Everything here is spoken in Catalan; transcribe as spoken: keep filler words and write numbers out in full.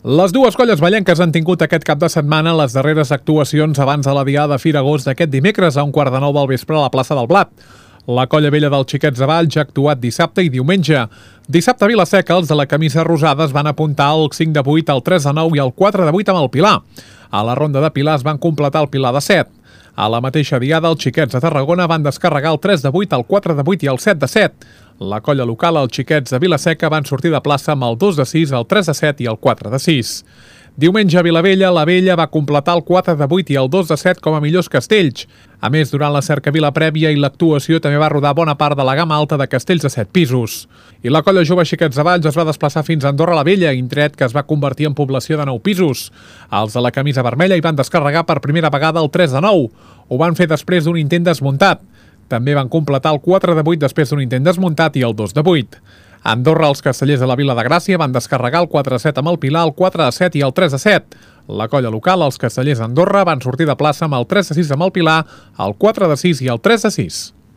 Les dues colles vallenques han tingut aquest cap de setmana les darreres actuacions abans de la diada de Fira Agost d'aquest dimecres a un quart de nou del vespre a la plaça del Blat. La colla vella dels Xiquets de Valls ha actuat dissabte i diumenge. Dissabte a Vila-seca, els de la camisa rosada es van apuntar el cinc de vuit, el tres de nou i el quatre de vuit amb el Pilar. A la ronda de Pilars van completar el Pilar de set. A la mateixa diada, els Xiquets de Tarragona van descarregar el tres de vuit, el quatre de vuit i el set de set. La colla local, els Xiquets de Vila-seca, van sortir de plaça amb el dos de sis, el tres de set i el quatre de sis. Diumenge a Vilavella, la Vella va completar el quatre de vuit i el dos de set com a millors castells. A més, durant la cercavila prèvia i l'actuació també va rodar bona part de la gamma alta de castells de set pisos. I la colla jove Xiquets de Valls es va desplaçar fins a Andorra la Vella, indret que es va convertir en població de nou pisos. Els de la camisa vermella hi van descarregar per primera vegada el tres de nou. Ho van fer després d'un intent desmuntat. També van completar el quatre de vuit després d'un intent desmuntat i el dos de vuit. A Andorra, els castellers de la Vila de Gràcia van descarregar el quatre de set amb el Pilar, el quatre de set i el tres de set. La colla local, els castellers d'Andorra, van sortir de plaça amb el tres de sis amb el Pilar, el quatre de sis i el tres de sis.